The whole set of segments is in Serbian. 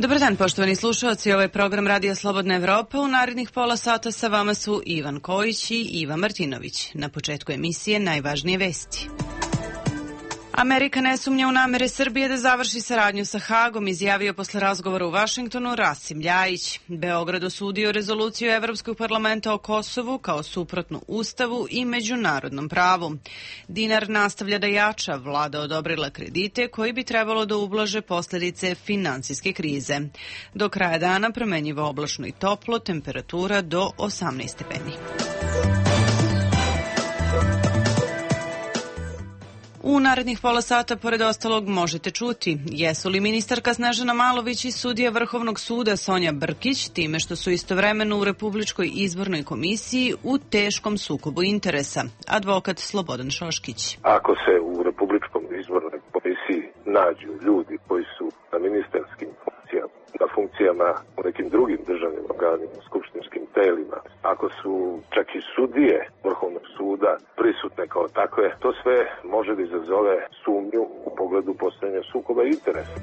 Dobar dan, poštovani slušalci. Ovo je program Radija Slobodna Evropa. U narednih pola sata sa vama su Ivan Kojić i Iva Martinović. Na početku emisije najvažnije vesti. Amerika ne sumnja u namere Srbije da završi saradnju sa Hagom, izjavio posle razgovora u Vašingtonu Rasim Ljajić. Beograd osudio rezoluciju Evropskog parlamenta o Kosovu kao suprotnu Ustavu i međunarodnom pravu. Dinar nastavlja da jača, vlada odobrila kredite koji bi trebalo da ublaže posljedice finansijske krize. Do kraja dana promenjivo oblačno i toplo, temperatura do 18 stepeni. U narednih pola sata, pored ostalog, možete čuti jesu li ministarka Snežana Malović i sudija Vrhovnog suda Sonja Brkić time što su istovremeno u Republičkoj izbornoj komisiji u teškom sukobu interesa. Advokat Slobodan Šoškić. Ako se u Republičkom izbornoj komisiji nađu ljudi koji su na ministarskim funkcijama, na funkcijama u nekim drugim državnim organima, skupštinskim telima, ako su čak i sudije Vrhovnog suda prisutne kao takve, to sve može da izazove sumnju u pogledu postojanja sukoba interesa.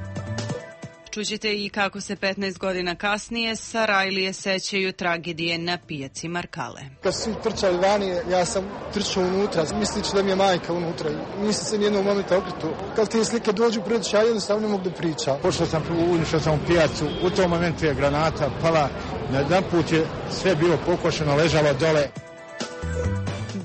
Čućete i kako se 15 godina kasnije Sarajlije sećaju tragedije na pijaci Markale. Kad su trčali vani, ja sam trčao unutra, mislići da mi je majka unutra. Nisam se nijednog momenta okretuo. Kad te slike dođu pred oči, ja jednostavno ne mogu da pričam. Pošao sam, ušao sam u pijacu, u tom momentu je granata pala, na jedan put je sve bilo pokošeno, ležalo dole.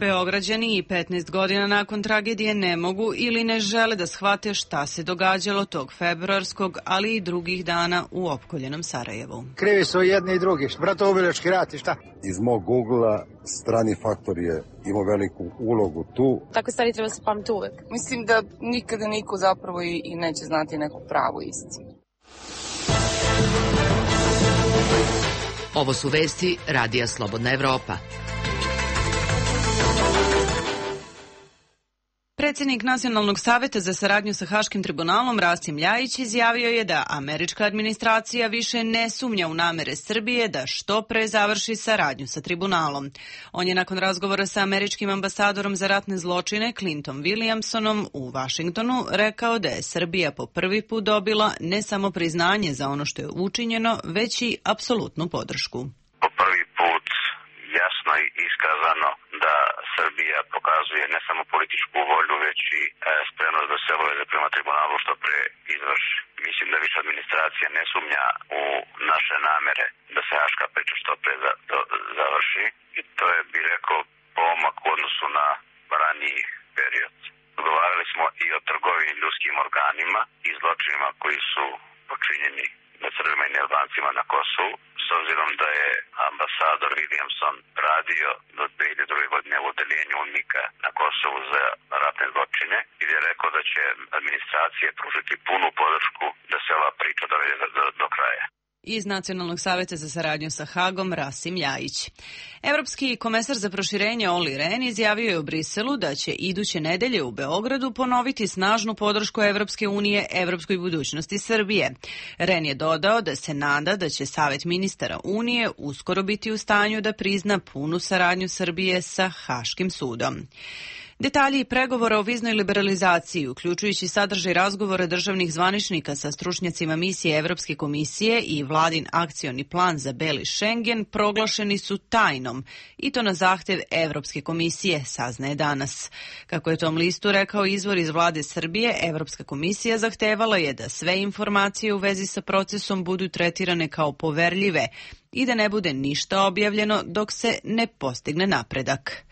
Beograđani i 15 godina nakon tragedije ne mogu ili ne žele da shvate šta se događalo tog februarskog, ali i drugih dana u opkoljenom Sarajevu. Krivi su jedni i drugi, bratoubilački rat i šta? Iz mog ugla strani faktor je imao veliku ulogu tu. Takve stvari treba se pamti uvek. Mislim da nikada niko zapravo i neće znati neku pravu istinu. Ovo su vesti Radija Slobodna Evropa. Predsjednik Nacionalnog saveta za saradnju sa Haškim tribunalom Rasim Ljajić izjavio je da američka administracija više ne sumnja u namere Srbije da što pre završi saradnju sa tribunalom. On je nakon razgovora sa američkim ambasadorom za ratne zločine Clinton Williamsonom u Vašingtonu rekao da je Srbija po prvi put dobila ne samo priznanje za ono što je učinjeno, već i apsolutnu podršku. Po prvi put jasno i iskazano da Srbija pokazuje ne samo političku volju, već i spremnost da se obaveze prema tribunalu što pre izvrši. Mislim da više administracija ne sumnja u naše namere da se haška priča što pre završi i to je, bih rekao, pomak u odnosu na raniji period. Govorili smo i o trgovini ljudskim organima i zločinima koji su počinjeni nad Srbima i Albancima na Kosovu. S obzirom da je ambasador Williamson radio do 2002. godine u odeljenju UNMIK-a na Kosovu za ratne zločine i je rekao da će administracije pružiti punu podršku da se ova priča dovede do kraja. Iz Nacionalnog saveta za saradnju sa Hagom Rasim Ljajić. Evropski komesar za proširenje Olli Rehn izjavio je u Briselu da će iduće nedelje u Beogradu ponoviti snažnu podršku Evropske unije evropskoj budućnosti Srbije. Rehn je dodao da se nada da će Savet ministara Unije uskoro biti u stanju da prizna punu saradnju Srbije sa Haškim sudom. Detalji pregovora o viznoj liberalizaciji, uključujući sadržaj razgovora državnih zvaničnika sa stručnjacima misije Evropske komisije i vladin akcioni plan za Beli Schengen, proglašeni su tajnom, i to na zahtev Evropske komisije, saznaje danas. Kako je tom listu rekao izvor iz vlade Srbije, Evropska komisija zahtevala je da sve informacije u vezi sa procesom budu tretirane kao poverljive i da ne bude ništa objavljeno dok se ne postigne napredak.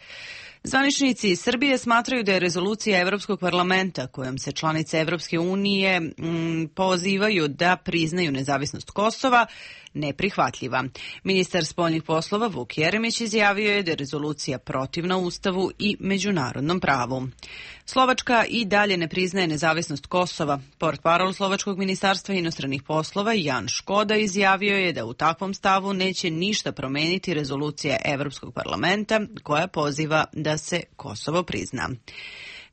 Zvaničnici iz Srbije smatraju da je rezolucija Evropskog parlamenta kojom se članice Evropske unije pozivaju da priznaju nezavisnost Kosova neprihvatljiva. Ministar spoljnih poslova Vuk Jeremić izjavio je da je rezolucija protivna Ustavu i međunarodnom pravu. Slovačka i dalje ne priznaje nezavisnost Kosova. Portparol Slovačkog ministarstva inostranih poslova Jan Škoda izjavio je da u takvom stavu neće ništa promeniti rezolucija Evropskog parlamenta koja poziva da se Kosovo prizna.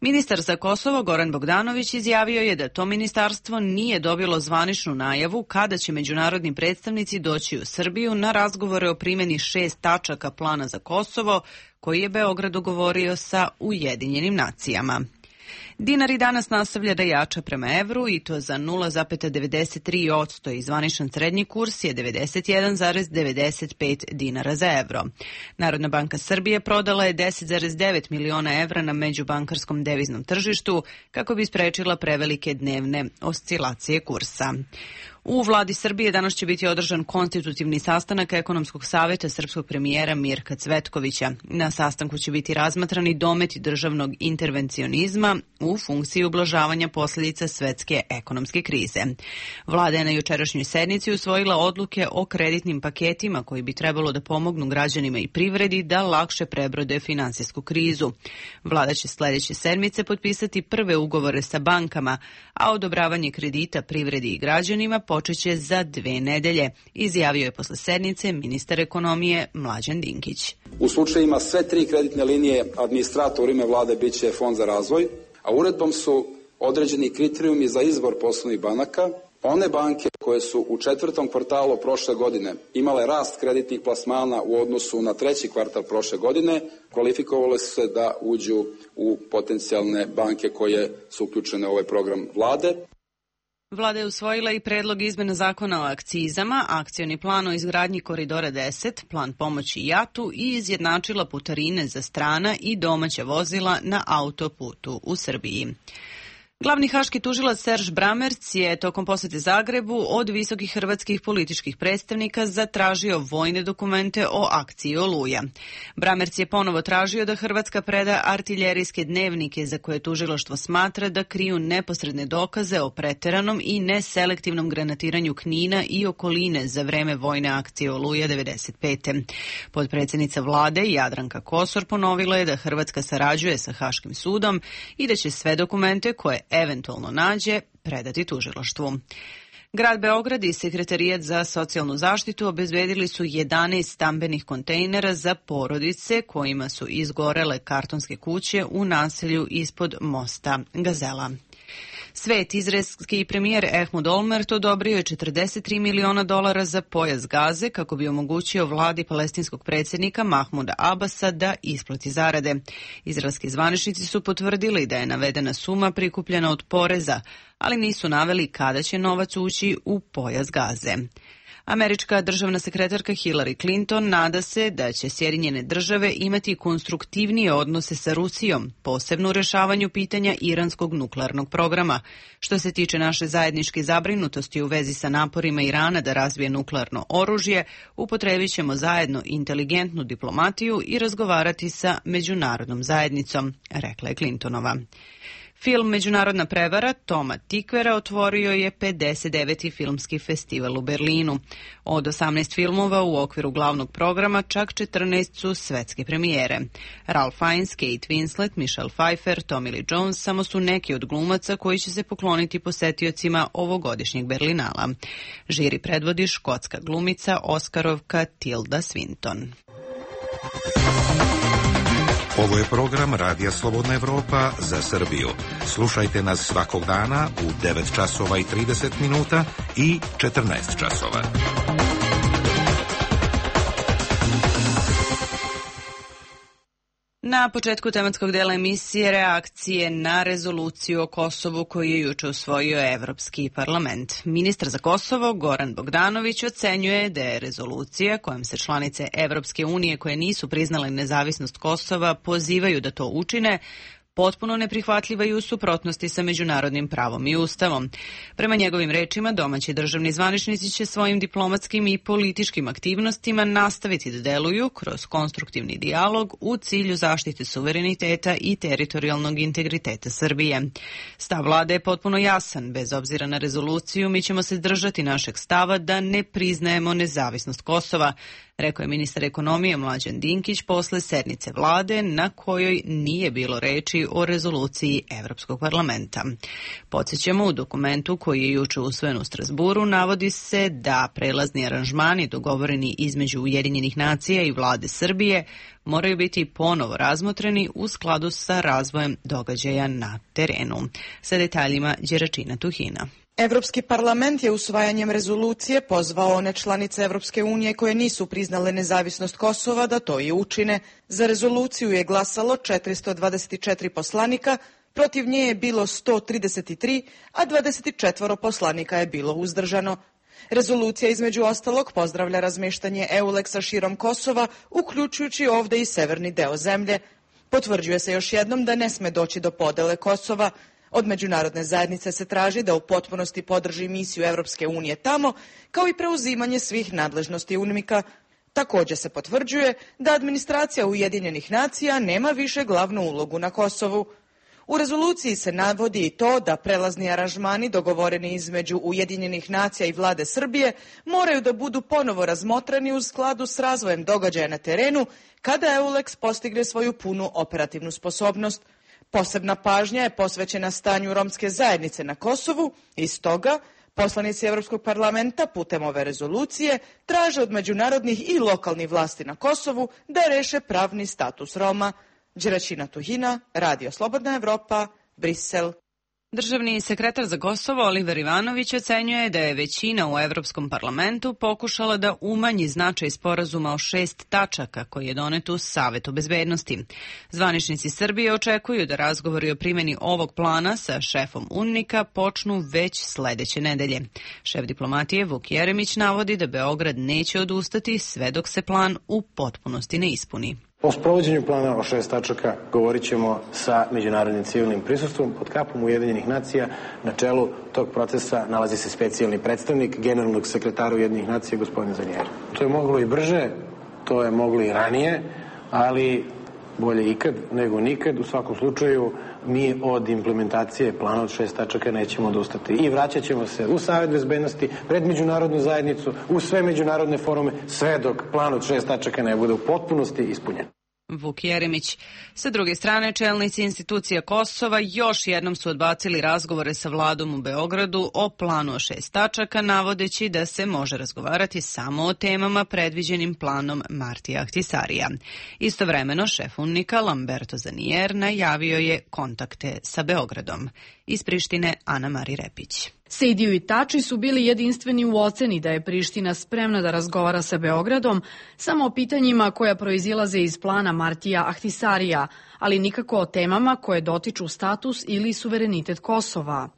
Ministar za Kosovo Goran Bogdanović izjavio je da to ministarstvo nije dobilo zvaničnu najavu kada će međunarodni predstavnici doći u Srbiju na razgovore o primjeni 6 tačaka plana za Kosovo koji je Beograd dogovorio sa Ujedinjenim nacijama. Dinar i danas nastavlja da jača prema evru i to za 0,93% i zvaničan srednji kurs je 91,95 dinara za evro. Narodna banka Srbije prodala je 10,9 miliona evra na međubankarskom deviznom tržištu kako bi sprečila prevelike dnevne oscilacije kursa. U vladi Srbije danas će biti održan konstitutivni sastanak Ekonomskog saveta srpskog premijera Mirka Cvetkovića. Na sastanku će biti razmatrani dometi državnog intervencionizma u funkciji ublažavanja posljedica svetske ekonomske krize. Vlada je na jučerašnjoj sednici usvojila odluke o kreditnim paketima koji bi trebalo da pomognu građanima i privredi da lakše prebrode finansijsku krizu. Vlada će sledeće sedmice potpisati prve ugovore sa bankama, a odobravanje kredita privredi i građanima počeće za 2 nedelje, izjavio je posle sednice ministar ekonomije Mlađan Dinkić. U slučajima sve 3 kreditne linije administrator u ime vlade biće Fond za razvoj, a uredbom su određeni kriterijumi za izbor poslovnih banaka. One banke koje su u 4. kvartalu prošle godine imale rast kreditnih plasmana u odnosu na 3. kvartal prošle godine, kvalifikovale su se da uđu u potencijalne banke koje su uključene u ovaj program vlade. Vlada je usvojila i predlog izmena zakona o akcizama, akcioni plan o izgradnji Koridora 10, plan pomoći JAT-u i izjednačila putarine za strana i domaća vozila na autoputu u Srbiji. Glavni haški tužilac Serž Bramerc je tokom posete Zagrebu od visokih hrvatskih političkih predstavnika zatražio vojne dokumente o akciji Oluja. Bramerc je ponovo tražio da Hrvatska preda artiljerijske dnevnike za koje tužilaštvo smatra da kriju neposredne dokaze o preteranom i neselektivnom granatiranju Knina i okoline za vreme vojne akcije Oluja 95. Potpredsjednica vlade Jadranka Kosor ponovila je da Hrvatska sarađuje sa Haškim sudom i da će sve dokumente koje eventualno nađe predati tužilaštvu. Grad Beograd i Sekretarijat za socijalnu zaštitu obezbedili su 11 stambenih kontejnera za porodice kojima su izgorele kartonske kuće u naselju ispod mosta Gazela. Svet, izraelski premijer Ehud Olmert odobrio je $43 miliona za pojas Gaze kako bi omogućio vladi palestinskog predsjednika Mahmuda Abasa da isplati zarade. Izraelski zvaničnici su potvrdili da je navedena suma prikupljena od poreza, ali nisu naveli kada će novac ući u pojas Gaze. Američka državna sekretarka Hillary Clinton nada se da će Sjedinjene države imati konstruktivnije odnose sa Rusijom, posebno u rešavanju pitanja iranskog nuklearnog programa. Što se tiče naše zajedničke zabrinutosti u vezi sa naporima Irana da razvije nuklearno oružje, upotrebit ćemo zajedno inteligentnu diplomatiju i razgovarati sa međunarodnom zajednicom, rekla je Clintonova. Film Međunarodna prevara Toma Tikvera otvorio je 59. filmski festival u Berlinu. Od 18 filmova u okviru glavnog programa čak 14 su svetske premijere. Ralph Fiennes, Kate Winslet, Michelle Pfeiffer, Tommy Lee Jones samo su neki od glumaca koji će se pokloniti posetiocima ovogodišnjeg Berlinala. Žiri predvodi škotska glumica Oskarovka Tilda Swinton. Ovo je program Radija Slobodna Evropa za Srbiju. Slušajte nas svakog dana u 9 časova i 30 minuta i 14 časova. Na početku tematskog dela emisije reakcije na rezoluciju o Kosovu koju je juče usvojio Evropski parlament. Ministar za Kosovo Goran Bogdanović ocenjuje da je rezolucija kojom se članice Evropske unije koje nisu priznale nezavisnost Kosova pozivaju da to učine potpuno neprihvatljiva i u suprotnosti sa međunarodnim pravom i ustavom. Prema njegovim rečima, domaći državni zvaničnici će svojim diplomatskim i političkim aktivnostima nastaviti da deluju kroz konstruktivni dijalog u cilju zaštite suvereniteta i teritorijalnog integriteta Srbije. Stav vlade je potpuno jasan. Bez obzira na rezoluciju, mi ćemo se držati našeg stava da ne priznajemo nezavisnost Kosova, rekao je ministar ekonomije Mlađan Dinkić posle sednice vlade na kojoj nije bilo reči o rezoluciji Evropskog parlamenta. Podsjećamo, u dokumentu koji je juče usvojen u Strasburu navodi se da prelazni aranžmani dogovoreni između Ujedinjenih nacija i vlade Srbije moraju biti ponovo razmotreni u skladu sa razvojem događaja na terenu. Sa detaljima Đeračina Tuhina. Evropski parlament je usvajanjem rezolucije pozvao one članice Evropske unije koje nisu priznale nezavisnost Kosova da to i učine. Za rezoluciju je glasalo 424 poslanika, protiv nje je bilo 133, a 24 poslanika je bilo uzdržano. Rezolucija između ostalog pozdravlja razmeštanje EULEX-a širom Kosova, uključujući ovde i severni deo zemlje. Potvrđuje se još jednom da ne sme doći do podele Kosova. Od međunarodne zajednice se traži da u potpunosti podrži misiju Evropske unije tamo, kao i preuzimanje svih nadležnosti UNMIK-a. Također se potvrđuje da administracija Ujedinjenih nacija nema više glavnu ulogu na Kosovu. U rezoluciji se navodi i to da prelazni aranžmani dogovoreni između Ujedinjenih nacija i vlade Srbije moraju da budu ponovo razmotreni u skladu s razvojem događaja na terenu kada EULEX postigne svoju punu operativnu sposobnost. Posebna pažnja je posvećena stanju romske zajednice na Kosovu i stoga poslanici Evropskog parlamenta putem ove rezolucije traže od međunarodnih i lokalnih vlasti na Kosovu da reše pravni status Roma. Đeraćina Tuhina, Radio Slobodna Evropa, Brisel. Državni sekretar za Kosovo Oliver Ivanović ocenjuje da je većina u Evropskom parlamentu pokušala da umanji značaj sporazuma o 6 tačaka koji je donet u Savetu bezbednosti. Zvaničnici Srbije očekuju da razgovori o primjeni ovog plana sa šefom UNMIK-a počnu već sledeće nedelje. Šef diplomatije Vuk Jeremić navodi da Beograd neće odustati sve dok se plan u potpunosti ne ispuni. O sprovođenju plana o 6 tačaka govorit ćemo sa međunarodnim civilnim prisustvom pod kapom Ujedinjenih nacija. Na čelu tog procesa nalazi se specijalni predstavnik generalnog sekretara Ujedinjenih nacija, gospodin Zanijeri. To je moglo i brže, to je moglo i ranije, ali bolje ikad nego nikad. U svakom slučaju mi od implementacije plana od 6 tačaka nećemo odustati i vraćat ćemo se u Savet bezbednosti, pred međunarodnu zajednicu, u sve međunarodne forume, sve dok plan od 6 tačaka ne bude u potpunosti ispunjen. Vuk Jeremić. Sa druge strane, čelnici institucija Kosova još jednom su odbacili razgovore sa vladom u Beogradu o planu o 6 tačaka, navodeći da se može razgovarati samo o temama predviđenim planom Martija Ahtisarija. Istovremeno, šef UNMIK-a Lamberto Zanier najavio je kontakte sa Beogradom. Iz Prištine, Ana Mari Repić. Sejdiju i Tači su bili jedinstveni u oceni da je Priština spremna da razgovara sa Beogradom samo o pitanjima koja proizilaze iz plana Martija Ahtisarija, ali nikako o temama koje dotiču status ili suverenitet Kosova.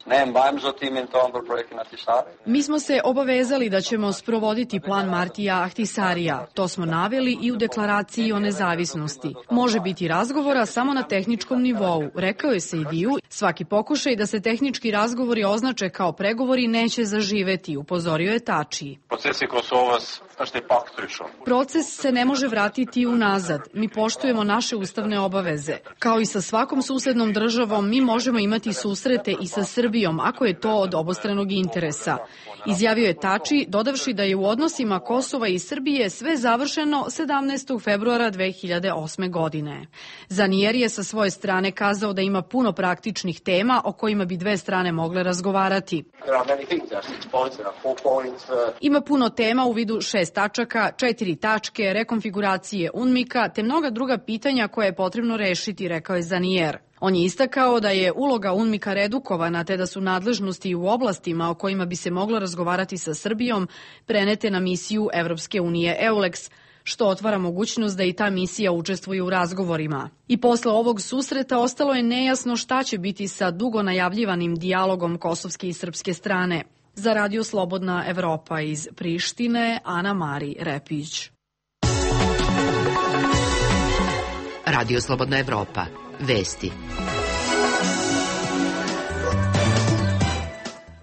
Mi smo se obavezali da ćemo sprovoditi plan Martija Ahtisarija. To smo naveli i u deklaraciji o nezavisnosti. Može biti razgovora samo na tehničkom nivou, rekao je Sejdiju. Svaki pokušaj da se tehnički razgovori označe kao pregovori neće zaživeti, upozorio je Tači. Proces se ne može vratiti unazad. Mi poštujemo naše ustavne obaveze. Kao i sa svakom susednom državom, mi možemo imati susrete i sa Srbijom, ako je to od obostranog interesa. Izjavio je Tači, dodavši da je u odnosima Kosova i Srbije sve završeno 17. februara 2008. godine. Zanier je sa svoje strane kazao da ima puno praktičnih tema o kojima bi dve strane mogle razgovarati. Ima puno tema u vidu 6 tačaka, 4 tačke, rekonfiguracije UNMIK-a, te mnoga druga pitanja koje je potrebno rešiti, rekao je Zanier. On je istakao da je uloga UNMIK-a redukovana te da su nadležnosti u oblastima o kojima bi se moglo razgovarati sa Srbijom prenete na misiju Evropske unije EULEX, što otvara mogućnost da i ta misija učestvuje u razgovorima. I posle ovog susreta ostalo je nejasno šta će biti sa dugo najavljivanim dijalogom kosovske i srpske strane. Za Radio Slobodna Evropa iz Prištine, Ana Mari Repić. Radio Slobodna Evropa. Vesti.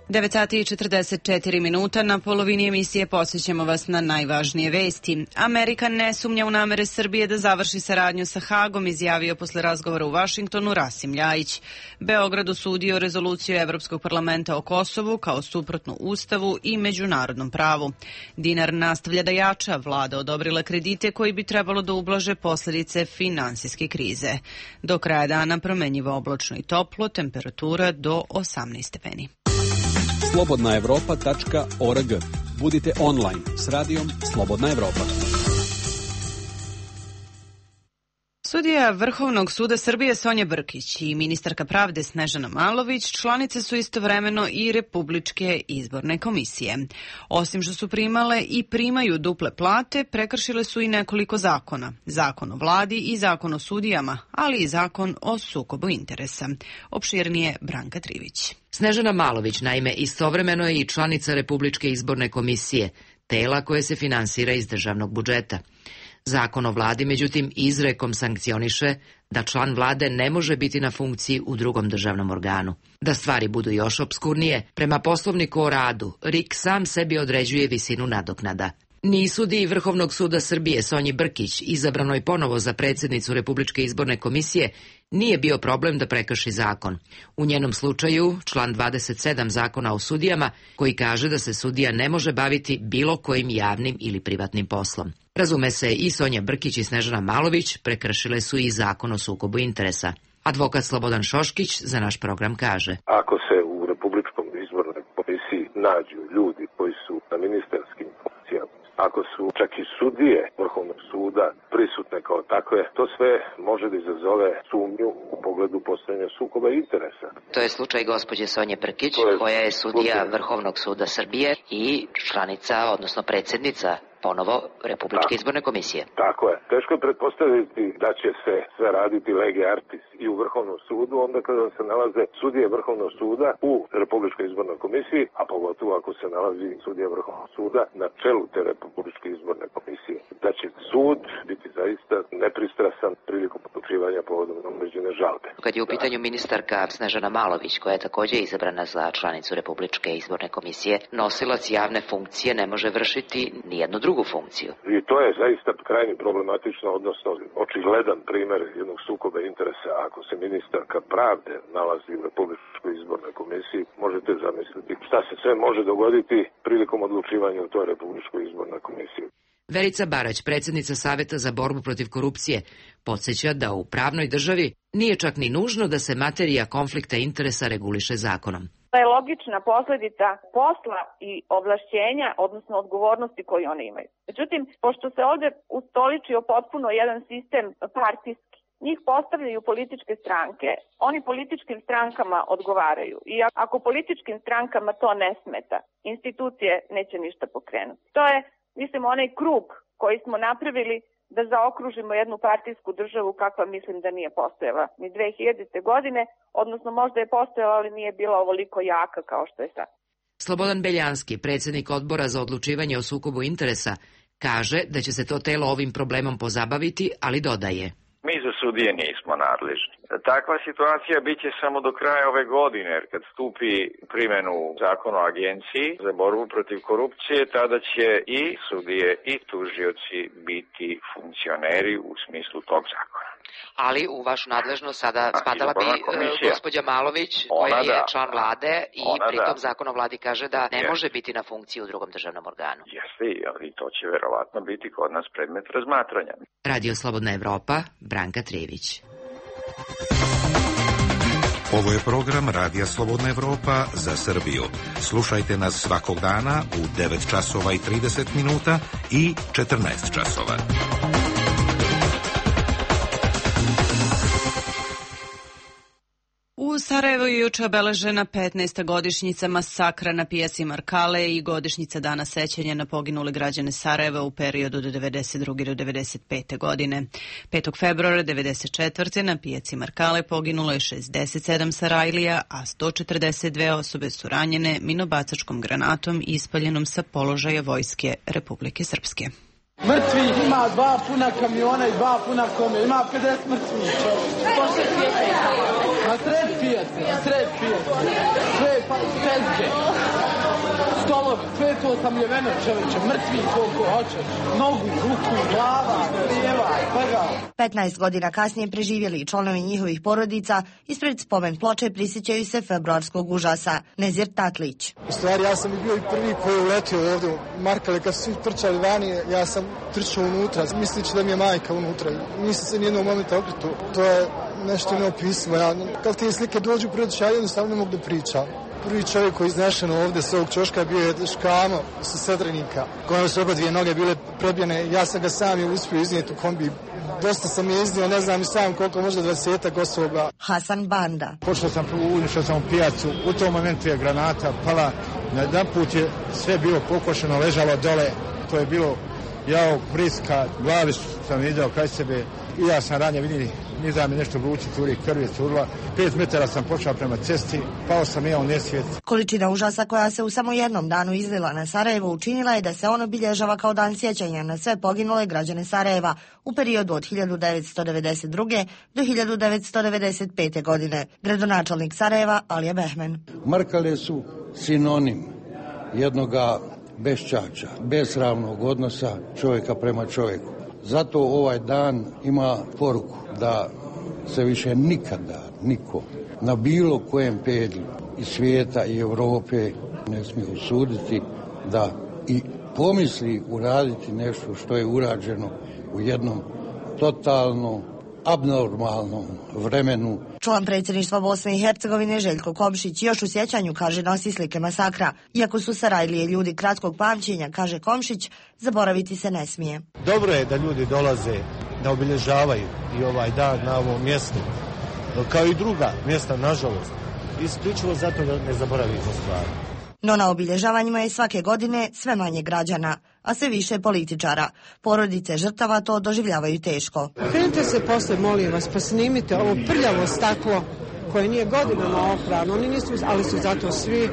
9:44 na polovini emisije posjećamo vas na najvažnije vesti. Amerika ne sumnja u namere Srbije da završi saradnju sa Hagom, izjavio posle razgovora u Vašingtonu Rasim Ljajić. Beograd osudio rezoluciju Evropskog parlamenta o Kosovu kao suprotnu Ustavu i međunarodnom pravu. Dinar nastavlja da jača, vlada odobrila kredite koji bi trebalo da ublaže posljedice finansijske krize. Do kraja dana promenjivo oblačno i toplo, temperatura do 18 stepeni. slobodnaevropa.org. Budite online s radijom Slobodna Evropa. Sudija Vrhovnog suda Srbije Sonja Brkić i ministarka pravde Snežana Malović članice su istovremeno i Republičke izborne komisije. Osim što su primale i primaju duple plate, prekršile su i nekoliko zakona. Zakon o vladi i zakon o sudijama, ali i zakon o sukobu interesa. Opširnije Branka Trivić. Snežana Malović, naime, istovremeno je i članica Republičke izborne komisije, tela koje se finansira iz državnog budžeta. Zakon o vladi, međutim, izrekom sankcioniše da član vlade ne može biti na funkciji u drugom državnom organu. Da stvari budu još opskurnije, prema poslovniku o radu, RIK sam sebi određuje visinu nadoknada. Ni sudiji Vrhovnog suda Srbije Sonji Brkić, izabranoj ponovo za predsjednicu Republičke izborne komisije, nije bio problem da prekrši zakon. U njenom slučaju, član 27 zakona o sudijama, koji kaže da se sudija ne može baviti bilo kojim javnim ili privatnim poslom. Razume se, i Sonja Brkić i Snežana Malović prekršile su i zakon o sukobu interesa. Advokat Slobodan Šoškić za naš program kaže: Ako se u Republičkom izbornoj komisiji nađu ljudi koji su na ministarskim funkcijama, ako su čak i sudije Vrhovnog suda prisutne kao takve, to sve može da izazove sumnju u pogledu postojanja sukoba interesa. To je slučaj gospođe Sonje Brkić, koja je sudija Vrhovnog suda Srbije i članica, odnosno predsjednica ponovo Republičke izborne komisije. Tako je. Teško je pretpostaviti da će se sve raditi lege artis i u Vrhovnom sudu, onda kada se nalaze sudije Vrhovnog suda u Republičkoj izbornoj komisiji, a pogotovo ako se nalazi sudija Vrhovnog suda na čelu te Republičke izborne komisije. Da će sud biti zaista nepristrasan prilikom odlučivanja povodom određene žalbe. Kad je u pitanju ministarka Snežana Malović, koja je također izabrana za članicu Republičke izborne komisije, nosilac javne funkcije ne može vršiti nijednu drugu funkciju. I to je zaista krajnje problematično, odnosno očigledan primjer jednog sukoba interesa. Ako se ministarka pravde nalazi u Republičkoj izbornoj komisiji, možete zamisliti šta se sve može dogoditi prilikom odlučivanja u toj Republičkoj izbornoj komisiji. Verica Barać, predsjednica Saveta za borbu protiv korupcije, podsjeća da u pravnoj državi nije čak ni nužno da se materija konflikta interesa reguliše zakonom. To je logična posljedica posla i ovlašćenja, odnosno odgovornosti koju oni imaju. Međutim, pošto se ovdje ustoličio potpuno jedan sistem partijski, njih postavljaju političke stranke, oni političkim strankama odgovaraju. I ako političkim strankama to ne smeta, institucije neće ništa pokrenuti. To je, mislim, onaj krug koji smo napravili da zaokružimo jednu partijsku državu kakva mislim da nije postojala ni 2000. godine, odnosno možda je postojala, ali nije bila ovoliko jaka kao što je sad. Slobodan Beljanski, predsjednik odbora za odlučivanje o sukobu interesa, kaže da će se to telo ovim problemom pozabaviti, ali dodaje: Mi za sudije nismo nadležni. Takva situacija bit će samo do kraja ove godine, jer kad stupi primjenu zakona o agenciji za borbu protiv korupcije, tada će i sudije i tužioci biti funkcioneri u smislu tog zakona. Ali u vašu nadležnost sada spadala bi gospođa Malović, koja je član vlade i pritom zakon o vladi kaže da ne može biti na funkciji u drugom državnom organu. Jeste, ali to će verovatno biti kod nas predmet razmatranja. Radio Slobodna Evropa, Branka Trivić. Ovo je program Radija Slobodna Evropa za Srbiju. Slušajte nas svakog dana u 9 časova i 30 minuta i 14 časova. U Sarajevu je juče obeležena 15. godišnjica masakra na pijaci Markale i godišnjica dana sećanja na poginule građane Sarajeva u periodu od 92. do 95. godine. 5. februara 94. na pijaci Markale poginulo je 67 Sarajlija, a 142 osobe su ranjene minobacačkom granatom ispaljenom sa položaja vojske Republike Srpske. Mrtvih ima 2 puna kamiona i 2 puna kome. Ima 50 mrtvih. Na sred pijace. Sve tezge. Stolovi. Sve to osamljeveno, čoveče. Mrtvih koliko hoćeš. Nogu, ruku, glava, lijeva, svega. 15 godina kasnije preživjeli članovi njihovih porodica ispred spomen ploče prisjećaju se februarskog užasa. Nezir Tatlić. U stvari, ja sam bio i prvi koji je uletio ovdje u Markale. Kad su svi trčali vani, ja sam trčao unutra, mislići da mi je majka unutra. Nisam se nijednog momenta okretuo. To je nešto neopismo. Kad te slike dođu pred oči, ja jednostavno ne mogu da pričam. Prvi čovjek koji je iznešen ovdje s ovog ćoška bio je Škamo sa Sedrenika, kojom su oba dvije noge bile prebijene. Ja sam ga sam je uspio iznijeti u kombi. Dosta sam je iznio, ne znam i sam koliko, možda 20 osoba. Hasan Banda. Pošto sam ušao u pijacu, u tom momentu je granata pala, na jedan put je sve bilo pokošeno, ležalo dole, to je bilo jao, priska, glavi sam vidio kraj sebe i ja sam ranije vidio, nizam mi nešto vrući curi, krv je curila, 5 metara sam počeo prema cesti, pao sam ja u nesvijest. Količina užasa koja se u samo jednom danu izlila na Sarajevo učinila je da se on obilježava kao dan sjećanja na sve poginule građane Sarajeva u periodu od 1992. do 1995. godine. Gradonačelnik Sarajeva Alija Behmen. Markale su sinonim jednoga beščača, besramnog odnosa čovjeka prema čovjeku. Zato ovaj dan ima poruku da se više nikada niko na bilo kojem pedlju i svijeta i Europe ne smije usuditi da i pomisli uraditi nešto što je urađeno u jednom totalno abnormalnom vremenu. Član predsjedništva Bosne i Hercegovine Željko Komšić još u sjećanju, kaže, nosi slike masakra. Iako su Sarajlije ljudi kratkog pamćenja, kaže Komšić, zaboraviti se ne smije. Dobro je da ljudi dolaze da obilježavaju i ovaj dan na ovom mjestu, kao i druga mjesta, nažalost, isključivo zato da ne zaboravimo stvari. No na obilježavanjima je svake godine sve manje građana, a sve više političara. Porodice žrtava to doživljavaju teško. Krenite se posle, molim vas, pa snimite ovo prljavo staklo koje nije godinama oprano, oni nisu, ali su zato svi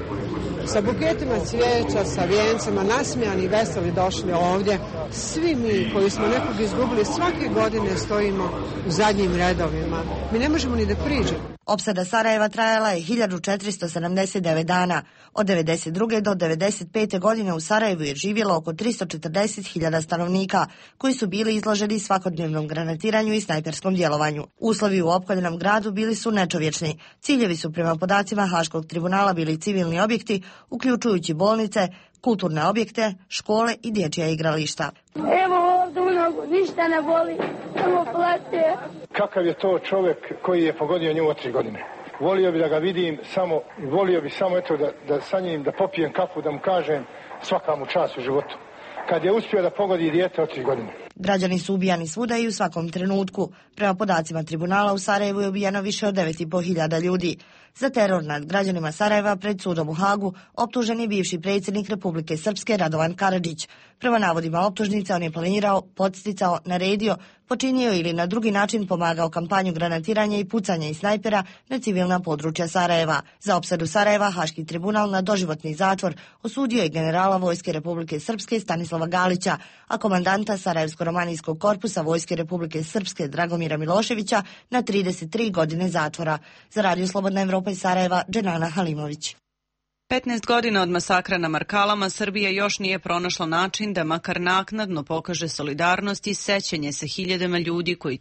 sa buketima cvijeća, sa vijencima, nasmijani i veseli došli ovdje. Svi mi koji smo nekog izgubili svake godine stojimo u zadnjim redovima. Mi ne možemo ni da priđemo. Opsada Sarajeva trajala je 1479 dana. Od 92. do 95. godine u Sarajevu je živjelo oko 340.000 stanovnika, koji su bili izloženi svakodnevnom granatiranju i snajperskom djelovanju. Uslovi u opkoljenom gradu bili su nečovječni. Ciljevi su prema podacima Haškog tribunala bili civilni objekti, uključujući bolnice, kulturne objekte, škole i dječja igrališta. Evo ovdje u nogu, ništa ne boli, samo plaće. Kakav je to čovjek koji je pogodio nju od 3 godine? Volio bi da ga vidim, volio bi samo eto da sa njim, da popijem kafu, da mu kažem svaka mu čast u životu. Kad je uspio da pogodi dijete od 3 godine. Građani su ubijani svuda i u svakom trenutku. Prema podacima tribunala u Sarajevu je ubijeno više od 9.500 ljudi. Za teror nad građanima Sarajeva pred sudom u Hagu optužen je bivši predsjednik Republike Srpske Radovan Karadžić. Prema navodima optužnice on je planirao, podsticao, naredio, počinio ili na drugi način pomagao kampanju granatiranja i pucanja iz snajpera na civilna područja Sarajeva. Za opsadu Sarajeva Haški tribunal na doživotni zatvor osudio je generala Vojske Republike Srpske Stanislava Galića, a komandanta Sarajevsko-romanijskog korpusa Vojske Republike Srpske Dragomira Miloševića na 33 godine zatvora. Za Radio Slobodna Evropa iz Sarajeva, Dženana Halimović. 15 godina od masakra na Markalama Srbija još nije pronašla način da makar naknadno pokaže solidarnost i sećanje sa hiljadama ljudi koji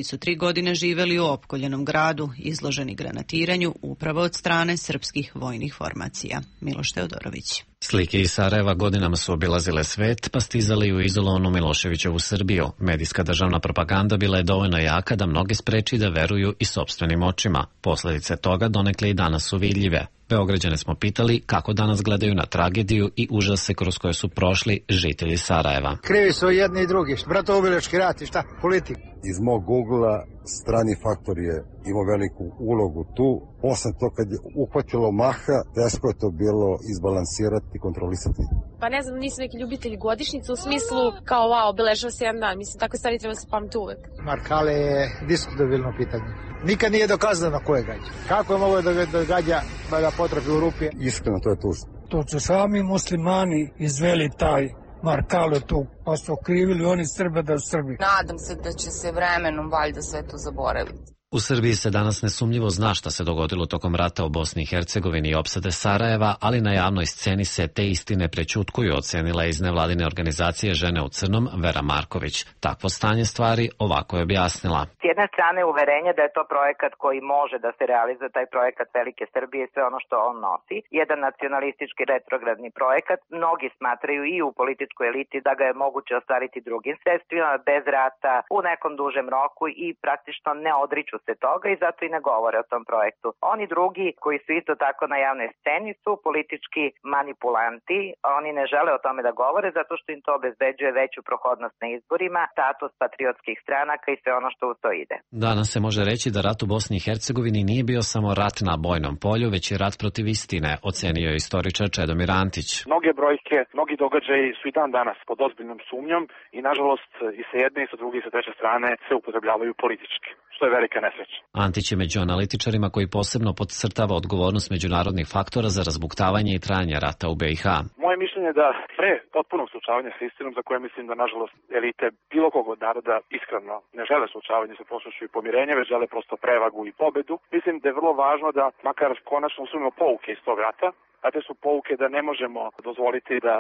su 3 godine živeli u opkoljenom gradu, izloženi granatiranju upravo od strane srpskih vojnih formacija. Miloš Teodorović. Slike iz Sarajeva godinama su obilazile svet, pa stizali u izolovanu Miloševićevu Srbiju. Medijska državna propaganda bila je dovoljno jaka da mnoge spreči da veruju i sopstvenim očima. Posledice toga donekle i danas su vidljive. Beograđane smo pitali kako danas gledaju na tragediju i užase kroz koje su prošli žitelji Sarajeva. Krivi su jedni i drugi, bratoubilački rat i šta, politik. Iz mog Google-a strani faktor je imao veliku ulogu tu. Posle to kad je uhvatilo maha, teško je to bilo izbalansirati i kontrolisati. Pa ne znam, nisu neki ljubitelji godišnjice u smislu kao wow, obeležava se jedan dan. Mislim, takve stvari treba se pamti uvek. Markale je diskutabilno pitanje. Nikad nije dokazano ko je gađa. Kako je mogo da gađa pa da potrafi u rupi? Iskreno, to je tužno. To su sami muslimani izveli taj Markale tu, pa su okrivili oni Srbe da su Srbi. Nadam se da će se vremenom valjda sve to zaboraviti. U Srbiji se danas nesumnjivo zna šta se dogodilo tokom rata u Bosni i Hercegovini i opsade Sarajeva, ali na javnoj sceni se te istine prećutkuju, ocenila je iz nevladine organizacije Žene u crnom Vera Marković. Takvo stanje stvari ovako je objasnila. S jedne strane uverenje da je to projekat koji može da se realizuje, taj projekat Velike Srbije i sve ono što on nosi. Jedan nacionalistički retrogradni projekat. Mnogi smatraju i u političkoj eliti da ga je moguće ostvariti drugim sredstvima, bez rata, u nekom dužem roku i praktično ne odriču tiču se toga i zato i ne govore o tom projektu. Oni drugi koji su isto tako na javnoj sceni su politički manipulanti, oni ne žele o tome da govore zato što im to obezbeđuje veću prohodnost na izborima, status patriotskih stranaka i sve ono što u to ide. Danas se može reći da rat u Bosni i Hercegovini nije bio samo rat na bojnom polju, već i rat protiv istine, ocenio je istoričar Čedomir Antić. Mnoge brojke, mnogi događaji su i dan danas pod ozbiljnom sumnjom i nažalost i sa jedne i sa druge i sa treće strane se upotrebljavaju politički, što je velika nesreća. Antić je među analitičarima koji posebno podcrtava odgovornost međunarodnih faktora za razbuktavanje i trajanje rata u BiH. Moje mišljenje je da pre potpunog suočavanja sa istinom, za koje mislim da nažalost elite bilo kog od naroda iskreno ne žele suočavanje sa prošlošću i pomirenje, već žele prosto prevagu i pobedu, mislim da je vrlo važno da makar konačno usvojimo pouke iz tog rata, a te su pouke da ne možemo dozvoliti da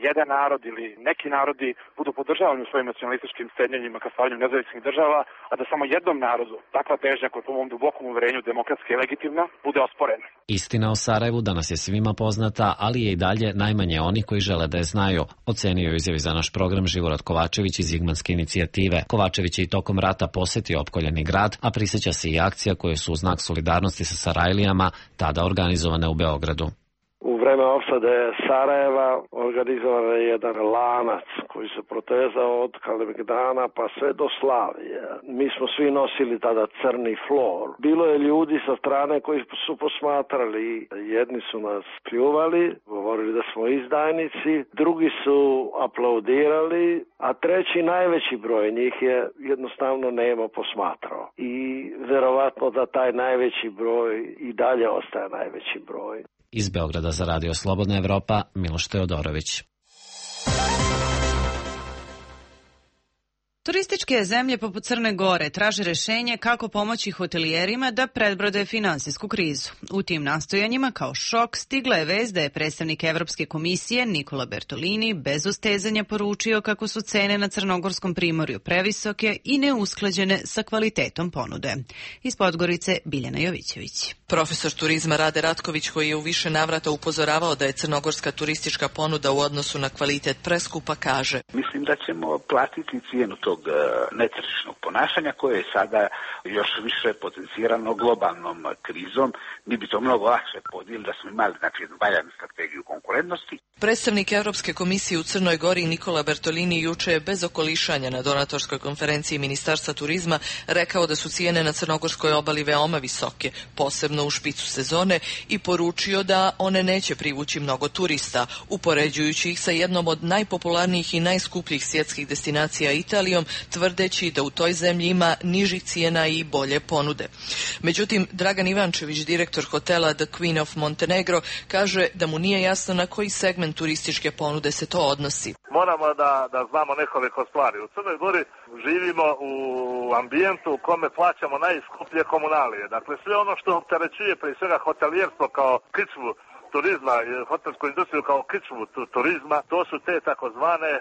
jedan narod ili neki narodi budu podržavani u svojim nacionalističkim strenjenjima ka stvaranju nezavisnih država, a da samo jednom narodu takva težnja koja je po mom dubokom uverenju demokratska i legitimna bude osporena. Istina o Sarajevu danas je svima poznata, ali je i dalje najmanje oni koji žele da je znaju, ocenio je izjavi za naš program Živorad Kovačević iz Zigmanske inicijative. Kovačević je i tokom rata posetio opkoljeni grad, a prisjeća se i akcija koje su u znak solidarnosti sa Sarajlijama tada organizovane u Beogradu. U vreme opsade Sarajeva organizovan je jedan lanac koji se protezao od Kalemegdana pa sve do Slavije. Mi smo svi nosili tada crni flor. Bilo je ljudi sa strane koji su posmatrali. Jedni su nas pljuvali, govorili da smo izdajnici, drugi su aplaudirali, a treći najveći broj njih je jednostavno nemo posmatrao. I verovatno da taj najveći broj i dalje ostaje najveći broj. Iz Beograda za Radio Slobodna Evropa, Miloš Teodorović. Turističke zemlje poput Crne Gore traže rešenje kako pomoći hotelijerima da predbrode finansijsku krizu. U tim nastojanjima kao šok stigla je vest da je predstavnik Evropske komisije Nikola Bertolini bez ustezanja poručio kako su cene na Crnogorskom primorju previsoke i neusklađene sa kvalitetom ponude. Iz Podgorice Biljana Jovićević. Profesor turizma Rade Ratković, koji je u više navrata upozoravao da je crnogorska turistička ponuda u odnosu na kvalitet preskupa, kaže: Mislim da ćemo platiti cijenu tog netržišnog ponašanja koje je sada još više potencirano globalnom krizom. Mi bi to mnogo lakše podijeli da smo imali jednu valjanu strategiju konkurentnosti. Predstavnik Europske komisije u Crnoj Gori Nikola Bertolini juče je bez okolišanja na donatorskoj konferenciji Ministarstva turizma rekao da su cijene na crnogorskoj obali veoma visoke, posebno u špicu sezone, i poručio da one neće privući mnogo turista, upoređujući ih sa jednom od najpopularnijih i najskupljih svjetskih destinacija Italijom, tvrdeći da u toj zemlji ima nižih cijena i bolje ponude. Međutim, Dragan Ivančević, direktor hotela The Queen of Montenegro, kaže da mu nije jasno na koji segment turističke ponude se to odnosi. Moramo da znamo nekoliko stvari. U Crnoj Gori živimo u ambijentu u kome plaćamo najskuplje komunalije. Dakle, sve ono što opterećuje prije svega hotelijerstvo kao kičvu turizma, hotelsku industriju kao kičvu turizma, to su te takozvane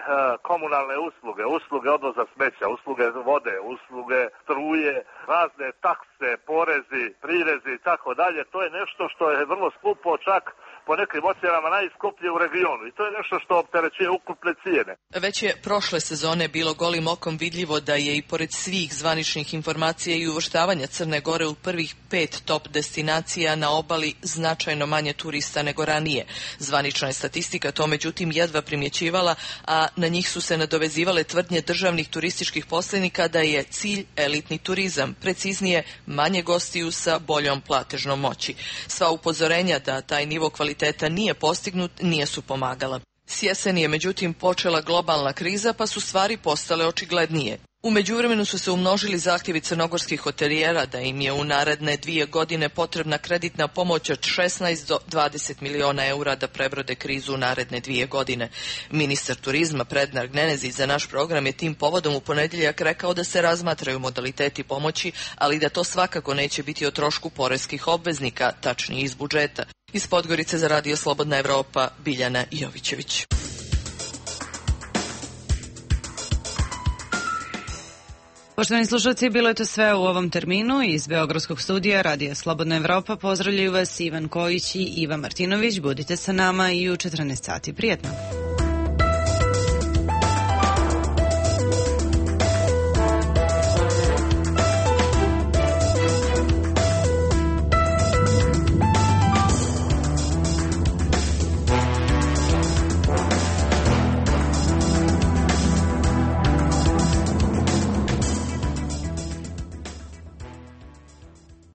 komunalne usluge, usluge odvoza smeća, usluge vode, usluge struje, razne takse, porezi, prirezi i tako dalje. To je nešto što je vrlo skupo, čak po nekim ocjenama najskuplje u regionu, i to je nešto što opterećuje ukupne cijene. Već je prošle sezone bilo golim okom vidljivo da je i pored svih zvaničnih informacija i uvrštavanja Crne Gore u prvih 5 top destinacija na obali značajno manje turista nego ranije. Zvanična je statistika to međutim jedva primjećivala, a na njih su se nadovezivale tvrdnje državnih turističkih posrednika da je cilj elitni turizam, preciznije manje gostiju sa boljom platežnom moći. Sva upozorenja da taj nivo kvaliteta nije postignut nije su pomagala. S jeseni je međutim počela globalna kriza, pa su stvari postale očiglednije. U međuvremenu su se umnožili zahtjevi crnogorskih hotelijera da im je u naredne 2 godine potrebna kreditna pomoć od 16 do 20 miliona eura da prebrode krizu u naredne 2 godine. Ministar turizma Prednar Gnenezi za naš program je tim povodom u ponedjeljak rekao da se razmatraju modaliteti pomoći, ali da to svakako neće biti o trošku poreskih obveznika, tačnije iz budžeta. Iz Podgorice za Radio Slobodna Evropa, Biljana Jovićević. Poštovani slušalci, bilo je to sve u ovom terminu. Iz Beogradskog studija Radija Slobodna Evropa pozdravljaju vas Ivan Kojić i Iva Martinović. Budite sa nama i u 14 sati. Prijetno!